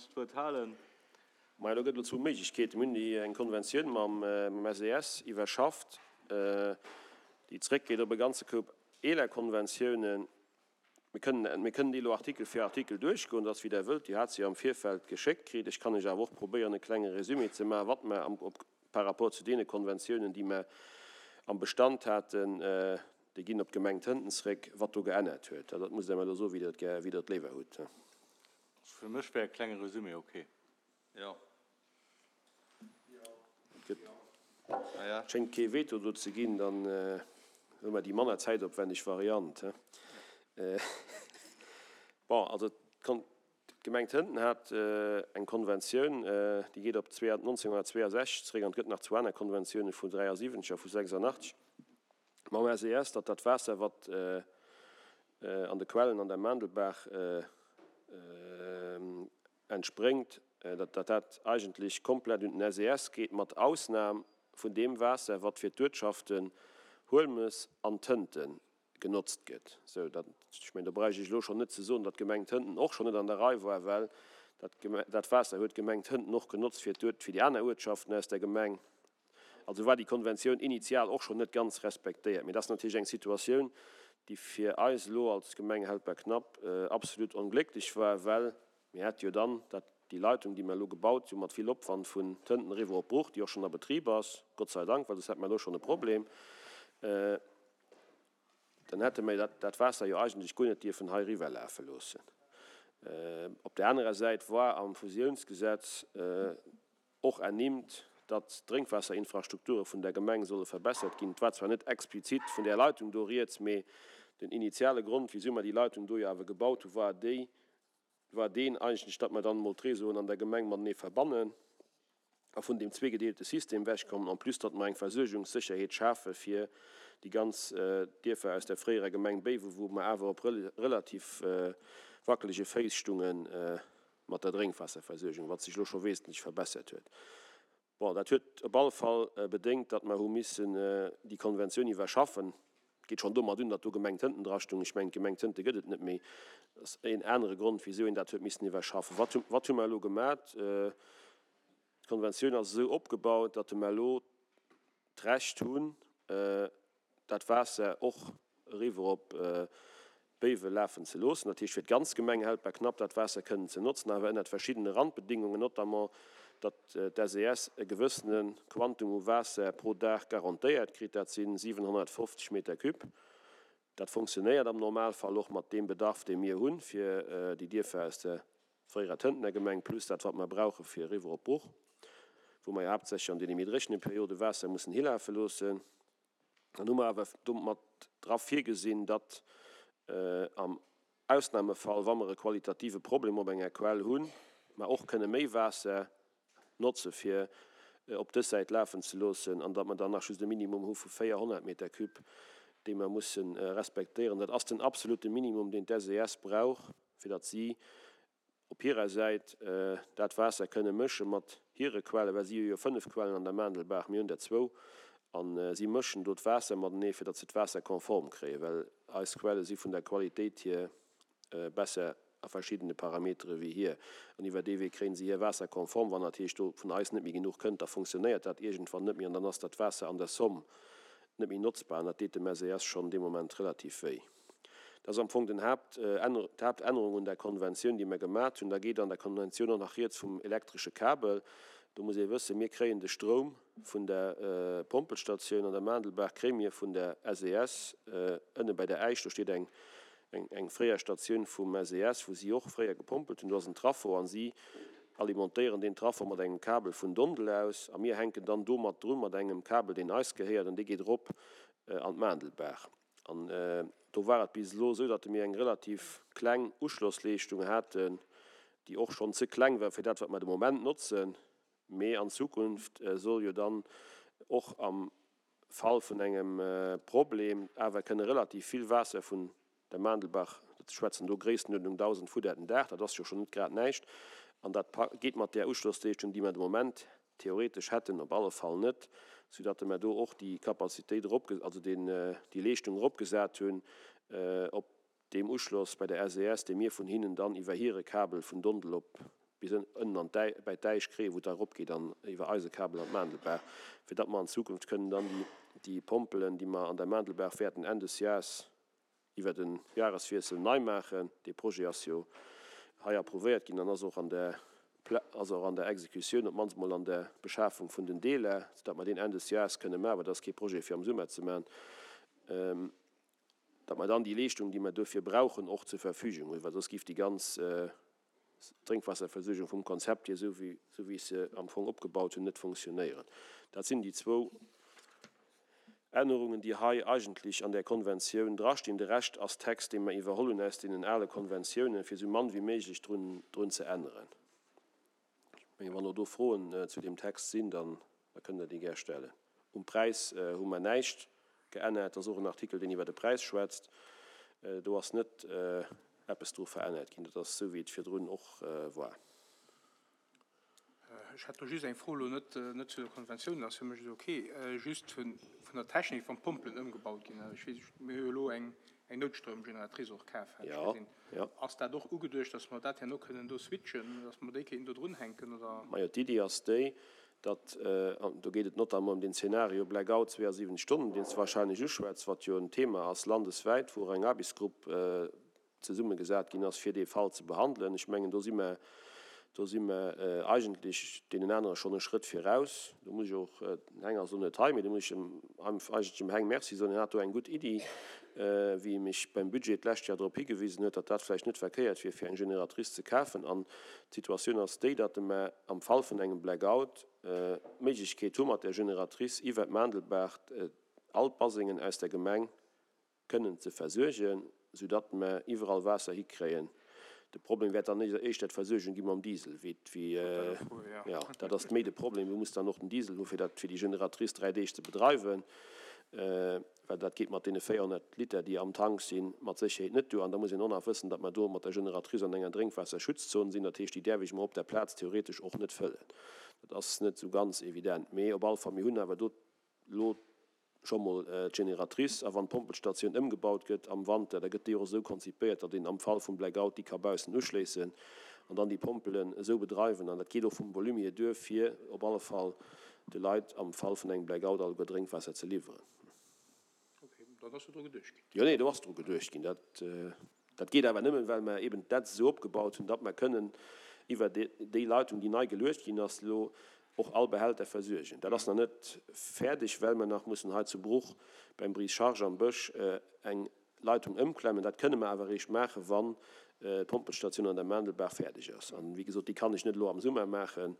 D'Wuert halen. Majo, do gëtt elo zwou Méiglechkeeten. Mir hunn déi eng Konventioun mam SES iwwerschafft, déi zréckgeet op e ganze Koup eeler Konventiounen. Mir kënnen, mir kënnen déi elo Artikel fir Artikel duerchgoen, dat ass wéi Der wëllt. Dir hat se jo am Virfeld geschéckt kritt. Ech kann lech awer och probéieren, e klenge Résumé ze maachen, wat mer am, op, par rapport zu deene Konventiounen, déi mer am Bestand haten, déi ginn op d'Gemeng Tënten zréck, wat do geännert huet. Dat musst Der mer elo soen, wéi Der et gär, wéi Der et léiwer hutt. Fir mech wär e klenge Resumé ok. Jo. Et gëtt, schéngt kee Veto do ze ginn, dann hu mer déi manner zäitopwänneg Variant. Bon, also d'Gemeng Tënten hat eng Konventioun, déi geet op 1962 zréck an et gëtt nach zwou aner Konventiounen vu 73 a vu 86 mam SES, datt dat Waasser, wat an de Quellen an der Maandelbaach entspréngt, datt dat eigentlech komplett un den SES geet, mat Ausnam vun deem Waasser, wat fir d'Uertschaften Huelmes an Tënten genotzt gëtt. Sou, dat, ech mengen, do bräicht ech elo schonn net ze soen, datt d'Gemeng Tënten och schonn net an der Rei war, well dat, dat Waasser huet d'Gemeng Tënten och genotzt fir d'Uert, fir déi aner Uertschaften aus der Gemeng. Also war déi Konventioun initial och schonn net ganz respektéiert. Mee dat ass natierlech eng Situatioun, déi fir eis elo als Gemeng Helperknapp absolut onglécklech war, well mir hätte jo dann dat, déi Leitung, déi mer elo gebaut hu mat vill Opwand vun Tënten eriwwer op Bruch, déi och schonn a Betrib ass, Gott sei Dank, well soss hätte mer elo schonn e Problem, dann hätte mer dat Waasser jo eigentlech guer net dierfen hei eriwwerlafe loossen. Op där anerer Säit war am Fusiounsgesetz och ernimmt, datt d'Drénkwaasserinfrastrukture vun der Gemeng solle verbessert ginn. Et war zwar net explizit vun där Leitung do rieds, mee den initiale Grond, wisou mer déi Leitung do jo awer gebaut hu war déi, war deen eigentlech, datt mer dann emol d'Réseauen an der Gemeng matenee verbannen a vun deem zweegedeelte System wechkommen, en plus datt mer eng Versuergungssécherheet schafe fir déi ganz Dierfer aus der fréierer Gemeng Béiwen, wou mer awer op relativ wackelege Féiss stungen. Mat der Drénkwaasserversuergung, wat sech elo scho wesentlech verbessert huet. Bon, dat huet op alle Fall bedéngt, datt mer hu missen déi Konventioun iwwerschaffen. Et geet schonn domat un, datt do Gemeng Tënten drastung. Ech mengen, d'Gemeng Tënte gëtt et net méi. Dat ass een anere Grond, wisou een dat huet missen iwwerschaffen. Wat hu, wat hu mer elo gemat? D'Konventioun ass esou opgebaut, datt mer elo d'Recht hunn, dat Waasser och eriwwer op Béiwe lafen ze loossen, dat heescht fir d'ganz Gemeng Helperknapp dat Waasser kënnen ze notzen, awer ënnert verschiddene Randbedingungen, notamment datt d'SES e gewëssene Quantum u Waasser pro Dag garantéiert kritt, dat si 750 Meter cube. Dat fonctionnéiert am Normalfall och mat deem Bedarf, dee mir hunn, fir déi Dierfer aus der fréierer Tëntener Gemeng, plus dat, wat mer brauche fir eriwwer op Bruch, wou mer jo haaptsächlech an deene méi dréchene Periode Waasser mussen hilafe loossen. Dann hu mer awer domat dra virgesinn, datt am Ausnahmefall, wa mer e qualitative Problem op enger Quell hunn, mer och kënne méi Waasser notze fir op dës Säit lafen ze loossen an datt mer dann nach just e Minimum hu vu 400 Meter cube, dee mer musse respektéieren. Dat ass den absolute Minimum, deen d'SES brauch, fir datt si op hirer Säit dat Waasser kënne mësche mat hire Quellen, well si hu jo 5 Quellen an der Maandelbaach, mir hunn der zwou, a si mëschen do d'Waasser matenee, fir datt se d'Waasser konform kréien, well eis Quelle si vun der Qualitéit hier besser a verschiddene Parametere wéi hir. An iwwer dee Wee kréien si hir Waasser konform. Wann dat heescht, do vun eis net méi genuch kënnt, da funktionéiert dat iergendwann net méi an dann ass dat Waasser an der Somm net méi notzbar an dat deet dem SES schonn dee Moment relativ wéi. Dat ass am Fong den Haapt, d'Haaptännerung un der Konventioun, déi mer gemat hunn. Da geet an der Konventioun och nach rieds vum elektresche Kabel. Do muss ee wëssen, mir kréien de Stroum vun der Pompelstatioun an der Maandelbaach kréie mir vun der SES ënne bei der Äisch. Do steet eng, eng fréier Statioun vum SES, wou si och fréier gepompelt hunn. Do ass en Traffo a si alimentéieren deen Traffo mat engem Kabel vun Dondel aus a mir hänken dann do mat drun mat engem Kabel, deen eis gehéiert an dee geet erop an d'Maandelbaach. An do war et bis elo esou, datt mir eng relativ kleng Uschlossleeschtung haten, déi och schonn ze kleng war fir dat, wat mer de Moment notzen. Mee an Zukunft soll jo dann och am Fall vun engem Problem awer kënne relativ vill Waasser vun der Maandelbach, ech schwätzen do Gréisstenuerdnung 1.000 Fudder den Dag, dat ass jo schonn net grad näischt, an dat geet mat där Uschlossleeschtung, déi mer de Moment theoretesch hätten, op alle Fall net, soudatt mer do och déi Capacitéit erop, also déi Leeschtung eropgesat hunn op deem Uschloss bei der SES, dee mir vun hinnen dann iwwer hire Kabel vun Dondel op. bis ënnen an bäi d'Äisch kréien, wou et da eropgeet an iwwer Eisekabel an d'Maandelbaach, fir datt mer an Zukunft kënnen dann déi Pompelen, déi mer an der Maandelbaach wäerten Enn des Jahres iwwer de Jahreswiessel nei maachen, dee Projet ass jo hei approuvéiert ginn an ass och an der ass och an der Exekutioun, op d'mannst mol an der Beschafung vun den Deeler, soudatt mer deen Enn des Jahres kënne maachen, well dat ass kee Projet fir am Summer ze maachen. Datt mer dann déi Leeschtung, déi mer dofir brauchen, och zur Verfügung hunn, well soss géif déi ganz Drénkwaasserversuergung vum Konzept hier, esou wéi ech se am Fong opgebaut hunn, net funktionéieren. Dat sinn déi zwou Ännerungen, déi hei eigentlech an där Konventioun drastinn. De Rescht ass Text, dee mer iwwerholl hunn aus deenen ale Konventiounen, fir esou mann wéi méiglech drun ze änneren. Ech mengen, wann elo do Froen zu deem Text sinn, da kënnt Der déi gär stellen. Um Präis hu mer näischt geännert. Dat ass och en Artikel, deen iwwer de Präis schwätzt. Do ass net eppes dru verännert ginn. Dat ass esou, wéi et virdrun och war. Ech hätt do just eng Fro, elo net net zu der Konventioun, dat ass fir mech elo ok, just vun vun der Technik, wann d'Pompelen ëmgebaut ginn. Ech weess, mir hu jo elo eng eng Noutstroumgeneratrice och kaf, hat ech gesinn. Ass dat och ugeduecht, datt mer dat herno kënnen do switchen, datt mer déi kéinten do drunhänken, oder? Majo, d'Iddi ass déi, datt, an do geet et notamment ëm deen Zeenario Blackout 72 Stonnen, deen s de wahrscheinlech uschwätz, wat jo en Thema ass landeswäit, wou och eng Aarbechtsgrupp zesummegesat ginn ass, fir dee Fall ze behandelen. Ech mengen, do si mer, do si mer eigentlech deenen anere schonn e Schrëtt viraus. Do muss ech och, den Heng ass elo net hei, mee do muss ech em eigentlech dem Heng Merci soen, hien hat do eng gutt Iddi, wéi e mech beim Budget d'lescht Joer drop higewisen huet, datt dat vläicht net verkéiert wier, fir eng Génératrice ze kafen. An d'Situatioun ass déi, datt mer am Fall vun engem Blackout d'Méiglechkeet hu mat där Génératrice iwwert d'Maandelbaach all d'Basengen aus der Gemeng kënnen ze versuergen, soudatt mer iwwerall Waasser hikréien. De Problem wäert dann éischter d'Versuergung gi mam Diesel, wéi, jo, dat ass méi de Problem. Du muss dann och den Diesel hu fir dat, fir déi Generatrice 3 Deeg ze bedreiwen, well dat geet mat deene 400 Liter, déi am Tank sinn, mat Sécherheet net duer. An da muss een och nach wëssen, datt mer do mat der Generatrice an enger Drénkwaasserschutzzon sinn. Dat heescht, déi däerf ech mer op der Plaz theoretesch och net fëllen. Dat ass net esou ganz evident. Mee op alle Fall, mir hunn awer do elo scho mol d'Generatrice, a wann d'Pompelstatioun ëmgebaut gëtt am Wanter, da gëtt déi och esou konzipéiert, datt een am Fall vum Blackout déi ka baussen uschléissen an dann déi Pompelen esou bedreiwen. An dat geet och vum Volume hier duer, fir op alle Fall de Leit am Fall vun engem Blackout alleguer Drénkwaasser ze liwweren. Okay, dann ass jo dru geduecht ginn. Jo, nee, do ass dru geduecht ginn. Dat. Dat geet awer nëmmen, well mer eben d'Netz esou opgebaut hunn, datt mer kënnen iwwer déi Leitung, déi nei geluecht ginn ass, elo och all Behälter versuergen. Dat ass nach net fäerdeg, well mer nach mussen hei zu Bruch beim Brise-charge am Bësch eng Leitung ëmklemmen. Dat kënne mer awer eréischt maachen, wann d'Pompelstatioun an der Maandelbaach fäerdeg ass. An, wéi gesot, déi kann ech net elo am Summer maachen,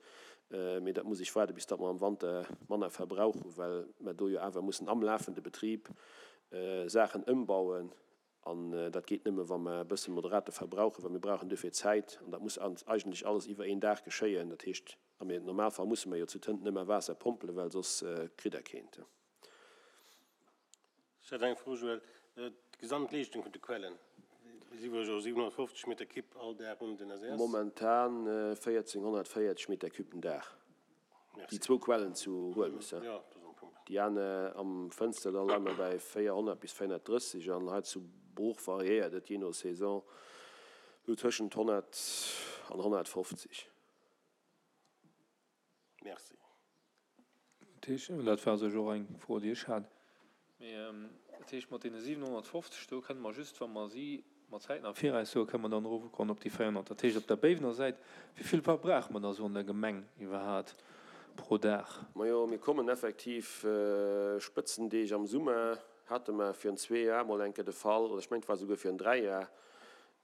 mee dat muss ech waarden, bis datt mer am Wanter manner Verbrauch hunn, well mer do jo awer mussen am lafende Betrib Saachen ëmbauen. An dat geet nëmme wa mer e bësse moderate verbrauchen, well mir brauchen duerfir Zäit. An dat muss eigentlech alles iwwer een Dag geschéien. Dat heescht, am Normalfall musse mer jo zu Tënt nëmme Waasser pompelen, well soss kritt Der keent. Ech hätt eng Fro, Joël. D'Gesamtleeschtung vun de Quellen, déi si wuel jo 750 Meter Kipp all Dag un den SES? Momentan 1440 Meter Cube den Dag. Déi zwou Quellen zu Huelmes, ja. Déi aner am Fënsterdall leie mer bäi 400 bis 430 an hei zu Bruch variéiert et jee no Saison esou tëschent 100 an 150. Merci. Dat heescht, dat war u sech och eng Fro, déi ech hat, mee dat heescht, mat deene 750 do kënne mer just, wa mer si mat Zäiten am Viraus soen, kënne mer dann erofgoen op déi 400. Dat heescht, op der Béiwener Säit, wéi vill verbrauche mer da sou an der Gemeng iwwerhaat pro Dag? Majo, mir kommen effektiv, Spëtzendeeg am Summer hate mer virun zwee Jar mol eng Kéier de Fall, oder ech mengen et war souguer virun dräi Jar,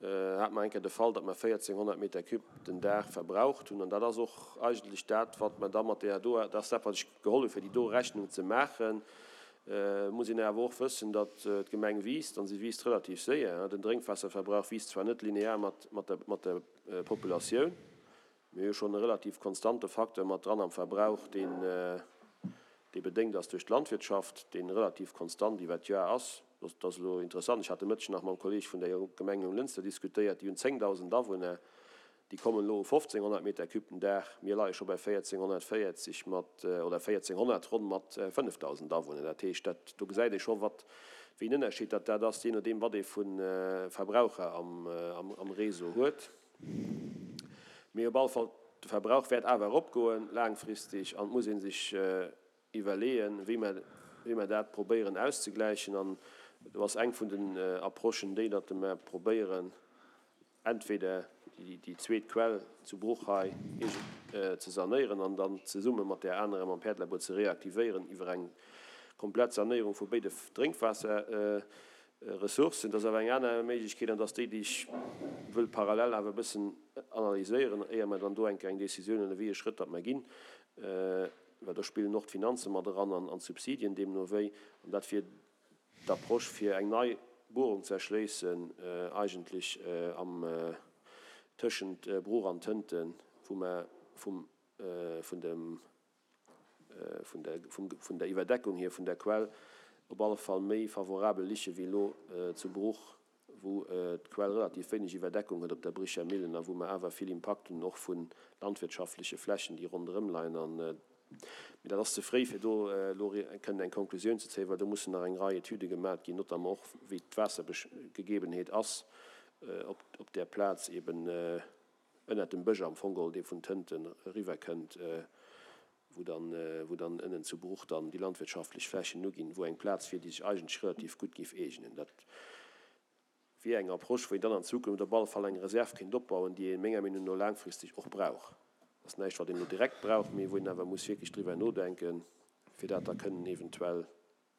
hate mer eng Kéier de Fall, datt mer 1.400 Meter cube den Dag verbraucht hunn. An dat ass och eigentlech dat, wat mer da mat deer do, dat ass dat, wat ech geholl hu fir déi do Rechnung ze maachen. Et muss een awer och wëssen, datt d'Gemeng wiisst, an si wiisst relativ séier. Den Drénkwaasserverbrauch wiisst zwar net linear mat mat der Populatioun, mir hu jo schonn e relativ konstante Facteur mat dran am Verbrauch, deen dee bedéngt ass duerch d'Landwirtschaft, dee relativ konstant iwwer d'Joer ass. Dat ass elo interessant, ech hat de Mëtteg nach mam Kolleeg vun der Gemeng Jonglënster diskutéiert, déi hunn 10.000 Awunner, déi kommen elo u 1.500 Meter cube den Dag, mir leie scho bei 1.440 mat, oder 1.400 ronn mat 5.000 Awunner. Dat heescht, dat, do gesäit ee scho wat, wéi en Ënnerscheed dat dat ass, jee nodeem wat ee vu Verbraucher am, am Réseau huet. Mee op alle Fall, de Verbrauch wäert awer eropgoen laangfristeg an et muss ee sech iwwerleeën, wéi mer, wéi mer dat probéieren auszegläichen. An do ass eng vun den Approchen déi, datt mer probéieren, entweder déi zweet Quell zu Bruch hei ze sanéieren an dann zesumme mat där anerer mam Päerdelabur ze reaktivéieren iwwer eng komplett Sanéierung vu béide Drénkwaasserressourcen. Dat ass awer eng aner Méiglechkeet an dat ass déi, déi ech wëll parallel awer e bëssen analyséieren, éier mer dann do eng Kéier eng Décisioun huelen, wéi ee Schrëtt datt mer ginn, well do spillen och d'Finanze mat eran an d'Subsidien deemno wéi. An dat wier D'Approche fir eng nei Buerung ze erschléissen, eigentlech am tëschent Bruch an Tënten, wou mer vum vun dem vun der vum vun der Iwwerdeckung hier vun der Quell op alle Fall méi favorabel liche wéi elo zu Bruch, wou d'Quell relativ wéineg Iwwerdeckung huet op der Bricher Millen a wou mer awer vill Impakt hunn och vu landwirtschaftleche Flächen, déi ronderëm leien. An, mee dat ass ze fréi, fir do elo kënnen eng Konklusioun ze zéien, well do mussen nach eng Rei Etüde gemat ginn, notamment och wéi d'Waassergegebenheet ass op där Plaz eben ënnert dem Bësch am Fong geholl, dee vun Tënten eriwwerkënnt. wou dann, wou dann ënnen zu Bruch dann déi landwirtschaftlech Flächen uginn, wou eng Plaz wier, déi sech eigentlech relativ gutt géif eegnen. Dat wier eng Approche, wou een dann an Zukunft op alle Fall eng Reserv kéint opbauen, déi ee menger Meenung no laangfristeg och brauch. Dat ass näischt, wat een elo direkt brauch, mee wou een awer muss wierklech driwwer nodenken, fir dat da kënnen eventuell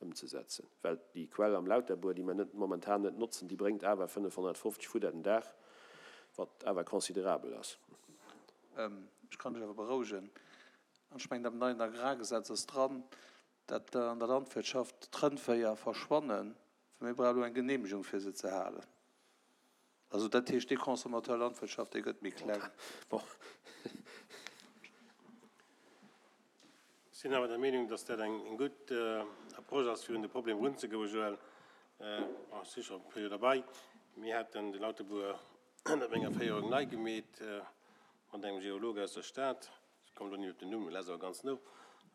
ëmzesetzen. Well déi Quell am Lauterbuer, déi mer net momentan net notzen, déi bréngt awer 550 Fudder den Dag, wat awer considerabel ass. Ech kann lech awer berouegen, an ech mengen, am neien Agrargesetz ass dran, dat an der Landwirtschaft d'Rëndvéier verschwannen, well mir brauche elo eng Genehmegung, fir se ze halen. Also dat heescht, dee Consommateur Landwirtschaft, dee gëtt méi kleng. Ech sinn awer der Meenung, dass dat eng gutt Approche ass, fir un de Problem erunzegoen, Joël. Bon, ech si scho e puer Joer derbei. Mir haten de Lautebuer ënnert menger Féierung nei gemeet mat engem Geolog aus der Stad. Ech kommen elo net op den Numm, ech ass awer ganz no.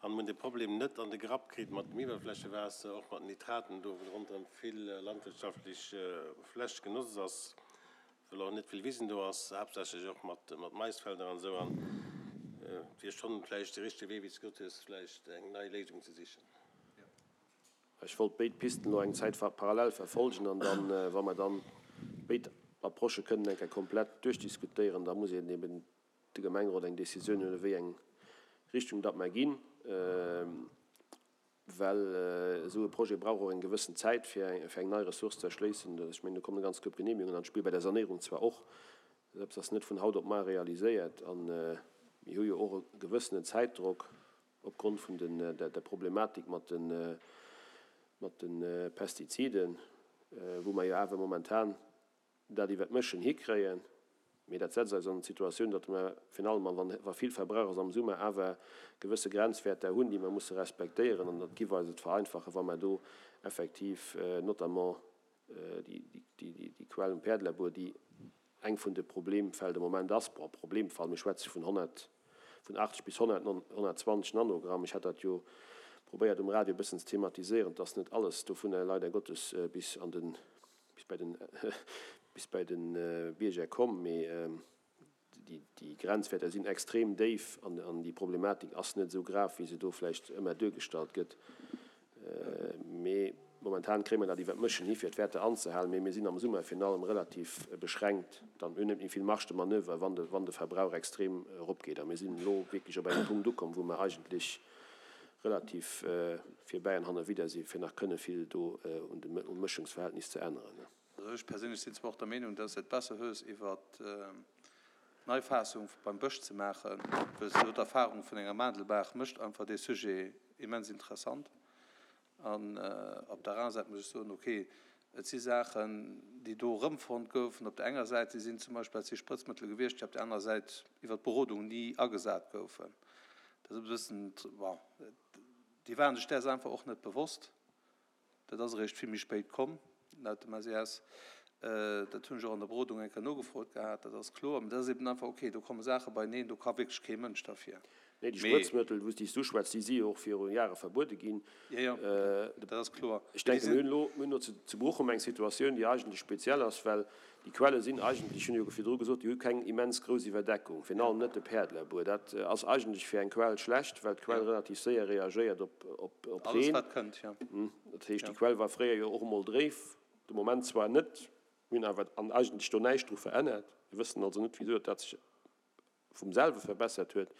An hunn de Problem net an de Grapp kritt mat dem Iwwerflächewaasser, och mat den Nitraten do, wou ronderëm vill landwirtschaftlech Fläch genotzt ass, well och net vill Wisen do ass, haaptsächlech och mat Maisfelder an esou. An et wier schonn vläicht de richtege Wee, wéi s de gesot hues, vläicht eng nei Léisung ze sichen. Ech wollt béid Pisten elo eng Zäit parallel verfolgen an dann, wa mer dann béid Approchë kënnen eng Kéier komplett duerchdiskutéieren, da muss een eben de Gemengerot eng Décisioun huelen, wéi eng Richtung datt mer ginn, well esou e Projet brauch och eng gewëssen Zäit, fir eng nei Ressource ze erschléissen. Ech mengen, do kommen e ganz Koup Genehmigungen an d'Spill, bei der Sanéierung zwar och, mä eppes ass net vun haut op mar realiséiert a mir hu jo och e gewëssenen Zäitdrock opgrond vun der Problematik mat de Pestiziden, wou mer jo awer momentan dat iwwert d'Mëschen hikréien, mee dat setzt eis an d'Situatioun, datt mer virun allem, a wa vill Verbrauch ass am Summer, awer gewësse Grenzwäerter hunn, déi mer musse respektéieren. An dat giff eis et vereinfachen, wa mer do effektiv notamment déi Quell um Päerdelebur, déi eng vun de Problemfäll de Moment ass, bon, Problemfall, mir schwätze vun 100, vun 80 bis 100, 120 Nanogramm, ech hat dat jo probéiert um Radio e bëssen ze thematiséieren, et ass net alles dovunner leider Gottes bis an den bis bei den, bis bei de Bierger komm, mee déi Grenzwäerter sinn extrem déif an déi Problematik ass net esou grav, wéi se do vläicht ëmmer duergestallt gëtt. Mee momentan kréie mer dat iwwer d'Mëschen hi fir d'Wäerter anzehalen, mee mir sinn am Summer virun allem relativ beschränkt, dann hunn net méi vill Marge de manoeuvre, wann de, wann de Verbrauch extrem eropgeet. A mir sinn elo wierklech op engem Punkt ukomm, wou mer eigentlech relativ virbäi an hannerwidder si fir nach kënne vill do un dem um Mëschungsverhältnis ze änneren. Also ech perséinlech sinn zwar och der Meenung, dass et besser hues iwwer d'Neifaassung beim Bësch ze maachen, well se do d'Erfahrung vun enger Maandelbaach mécht einfach dee Sujet immens interessant. An op der aner Säit muss ech soen, okay, et si Saachen, déi do erëmfonnt goufen op der enger Säit, déi sinn zum Beispill, dat si Sprëtzmëttel gewiescht, déi op der anerer Säit iwwer d'Berodung ni agesat goufen. Dat ass e bëssen, bon, déi waren sech däers einfach och net bewosst. Dat ass eréischt vill méi spéit komm, laut dem SES. Dat hunn ech och an der Berodung eng Kéier nogefrot gehat, dat ass kloer. Mä dat ass eben einfach, okay, do komme Saache beineen, do ka wierklech kee Mënsch derfir. Nee, déi Sprëtzmëttel, wou s déi s du schwätz, déi si jo och viru Jahre verbuede ginn. Jo, jo, dat ass kloer. Ech denken, mir hunn elo, mir hunn elo zu Bruchum eng Situatioun, déi eigentlech speziell ass, well. Déi Quelle sinn eigentlech, hunn ech jo virdru gesot, déi hu keng immens grouss Iwwerdeckung, virun allem net de Päerdlerbuer. Dat ass eigentlech fir eng Quell schlecht, well d'Quell relativ séier reagéiert op Alles Reen. wat kënnt, jo. Dat heescht, déi Quell war fréier jo och emol dréif, de Moment zwar net, mir hunn awer an eigentlech do näischt dru verännert. Mir wëssen also net, wisou dat sech vum selwe verbessert huet,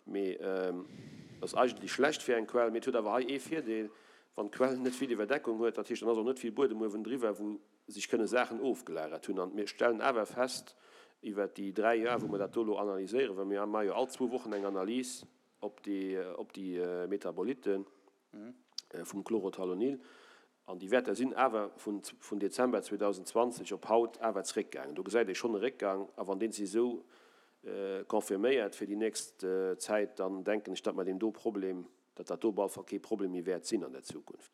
mee ass eigentlech schlecht fir eng Quell. Mee et huet awer hei ee Virdeel, Wann d'Quell net vill Iwwerdeckung huet, dat heescht, dann ass och net vill Buedem uewendriwwer, wou sech kënne Saachen ofgelagert hunn. An mir stellen awer fest, iwwert déi 3 Joer, wou mer dat do elo analyséieren, well mir maache jo all zwou Wochen eng Analys op déi, op déi Metabolitten vum Chlorothalonil, An déi Wäerter sinn awer vun Dezember 2020 op haut awer zeréckgaangen. Do gesäit ee schonn e Réckgang. A wann dee sech esou confirméiert fir déi nächst Zäit, dann denken ech, datt mer deem do Problem, datt dat do op alle Fall kee Problem méi wäert sinn an der Zukunft.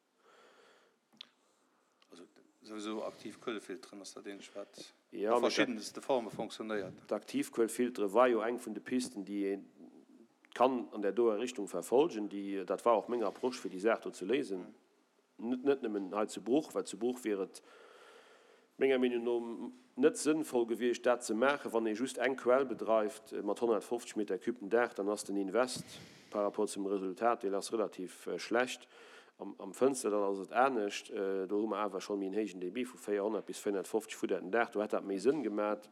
Also souwisou Aktivkuelefilteren ass dat eenzegt, wat a verschiddenste Forme fonctionnéiert. D'Aktivkuelfiltere war jo eng vun de Pisten, déi ee kann an där doer Richtung verfolgen. Déi, dat war och meng Approche, fir déi Saach do ze léisen. Net nëmmen hei zu Bruch, well zu Bruch wier et menger Meenung no net sënnvoll gewiescht, dat ze maachen. Wann ee just eng Quell bedreift mat 150 Meter cube den Dag, dann ass den Invest par rapport zum Resultat, deen ass relativ schlecht. Am Fënsterdall ass et anescht, do hu mer awer schonn méi en héijen Débit vu 400 bis 450 Fudder den Dag, do hätt dat méi Sënn gemat.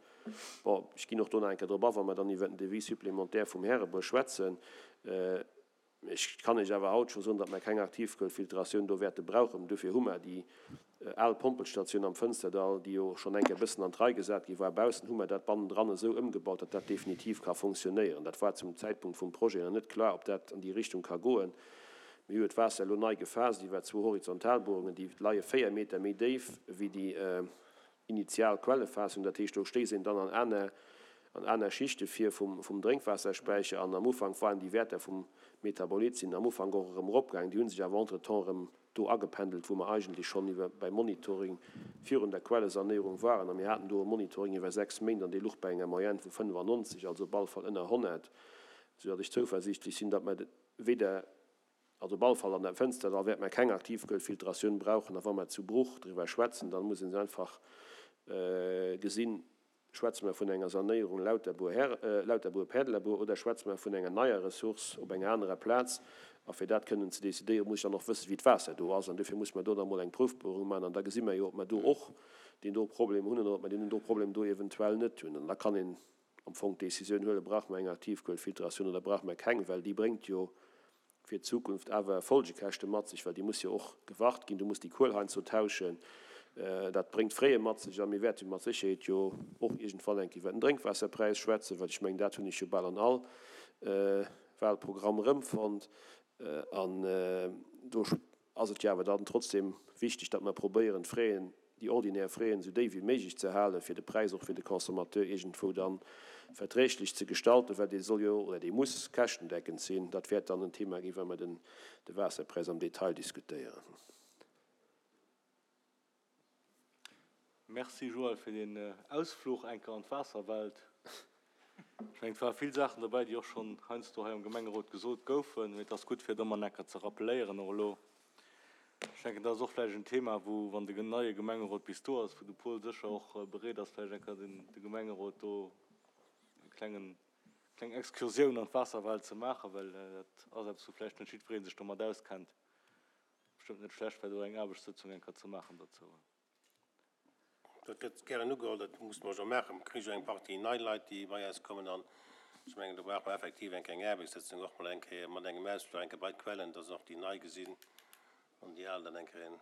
Bon, ech ginn och do nach eng Kéier drop a wa mer dann iwwert den Devis supplémentaire vum Härebuer schwätzen. Ech kann Iech awer haut scho soen, datt mer keng Aktivkuelfiltratioun do wäerte brauchen. Dofir hu mer déi al Pompelstatioun am Fënsterdall, déi jo schonn eng Kéier e bëssen an d'Rei gesat gi war. Baussen hu mer dat bannendran esou ëmgebaut, datt dat definitiv ka fonctionnéieren. Dat war zum Zäitpunkt vum Projet nach net kloer, ob dat an déi Richtung ka goen. Mir hu jo d'Waasser elo nei gefaasst iwwer zwou Horizontalbohrungen, déi leie 4 Meter méi déif wéi déi initial Quellefaassung, dat heescht do stéisst een dann an aner an aner Schichte vir vum vum Drénkwaasserspäicher an am Ufank waren déi Wäerter vum Metabolit sinn am Ufank och erëm eropgaangen, déi hu sech awer entretemps erëm do agependelt wou mer eigentlech schonn iwwer beim Monitoring virun der Quellesanéierung waren a mir haten do e Monitoring iwwer 6 Méint an dee luch bei enger Moyenne vu 95, also op alle Fall ënner 100, soudatt ech zouversiichtlech sinn, datt mer weder Also op alle Fall an der Fënster, da wäerte mer keng Aktivkuelfiltratioun brauchen. A wa mer zu Bruch driwwer schwätzen, da muss een se einfach gesinn, Schwätze mer vun enger Sanéierung Lauterbuer-Päerdelabuer oder schwätze mer vun enger neier Ressource op enger anerer Plaz? A fir dat kënnen ze decidéieren, muss ech dann och wëssen, wéi d'Waasser do ass. An dofir muss mer do da mol eng Proufbuerung maachen an da gesi mer jo, ob mer do och deen do Problem hunn oder ob mer deen do Problem do eventuell net hunn. An da kann een am Fong d'Décisioun huelen, Brauche mer eng Aktivkuelfiltratioun oder brauche mer keng? Well déi bréngt jo fir d'Zukunft awer Folgekäschte mat sech, well déi muss jo och gewart ginn, du muss déi Kuel heiansdo tauschen, dat bréngt Frais mat sech. A mir wäerte mat Sécherheet jo och iergendwann eng Kéier iwwer den Drénkwaasserpräis schwätzen, well ech mengen, dat hunn ech jo bal an all Wahlprogramm erëmfonnt. An do ass et jo awer dann trotzdem wichteg, datt mer probéieren, d'Fraisen, déi ordinär Fraisen esou déif wéi méiglech ze halen, fir de Präis och fir de Consommateur iergendwou da verträglech ze gestalten, well dee soll jo oder dee muss käschtendeckend sinn. Dat wäert dann en Thema ginn, wa mer den de Waasserpräis am Detail diskutéieren. Merci Joël fir deen Ausfluch enker an d'Waasserwelt. Ech mengen et ware vill Saachen dobäi déi och schonn heiansdo hei am Gemengerot gesot goufen, mee et ass gutt fir et ëmmer enker ze rappeléieren och elo. Ech denken dat ass och vläicht en Thema wou, wann de neie Gemengerot bis do ass, wou de Paul sécher och bereet ass vläicht enker den de Gemengerot do e klengen kleng Excursioun an d'Waasserwelt ze maachen, well dat ass eppes wou vläicht net jiddweree sech domat auskennt. Bestëmmt net schlecht fir do eng Aarbechtssëtzung eng Kéier ze maachen dozou. Dat gëtt gären ugeholl, dat musse mer jo maachen. Mir kréie jo eng Partie nei Leit, déi bei eis kommen an ech mengen, do brauche mer effektiv eng kleng Aarbechtssëtzung och mol eng Kéier mat engem Ausfluch eng Kéier bei d'Quellen, dass och déi Nei gesinn an déi Al dann eng Kéier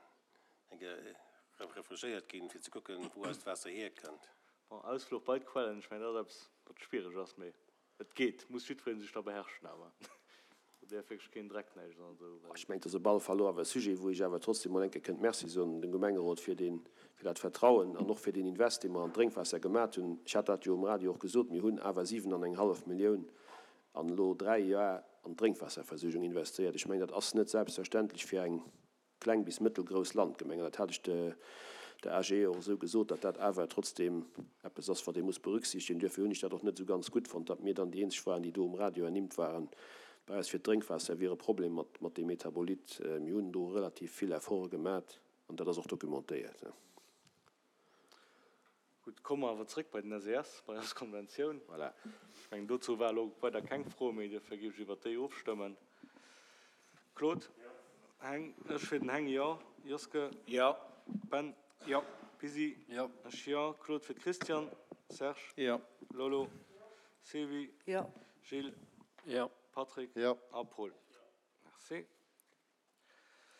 eng Kéier refrigéiert ginn, fir ze kucken, wou eist Waasser hierkënnt. Bon, Ausfluch bei d'Quellen, ech mengen, dat ass eppes, wat schwiereg ass, mee Et geet, muss jiddwereen sech da beherrschen awer do däerf wierklech keen Dreck näischt an esou well. Ech mengen, et ass op alle Fall elo awer e Sujet, wou ech awer trotzdem mol eng Kéier kënnt Merci soen dem Gemengerot fir deen, fir dat Vertrauen an och fir deen Invest, dee mer an d'Drénkwaasser gemat hunn. Ech hat dat jo um Radio och gesot, mir hunn awer 7 an eng hallef Millioun an elo 3 Joer an d'Drénkwaasserversuergung investéiert. Ech mengen, dat ass net selbstverständlech fir eng kleng bis mëttelgrouss Landgemeng, an dat hat ech der AGE och esou gesot, datt dat awer trotzdeem eppes ass, wat ee muss berücksichtigen. Duerfir hunn ech dat och net esou ganz gutt fonnt, datt mir dann déi eenzeg waren, déi do um Radio ernimmt waren. Bei eis fir d'Drénkwaasser wier e Problem mat mat deem Metabolit. Mir hunn do relativ vill Efforte gemat an dat ass och documentéiert. Gutt, komme mer awer zréck bei den SES, bei eis Konventioun. Voilà. Ech mengen, dozou war elo weider keng Fro méi, duerfir géif ech iwwert déi ofstëmmen. Claude? Jo. Heng? Ech fir den Heng, jo. Joske? Jo. Ben? Jo. Pisi? Jo. Ech jo. Claude fir d'Christiane? Serge? Jo. Lolo? Sylvie? Jo. Gilles? Jo. Patrick? Jo. A Paul? Merci.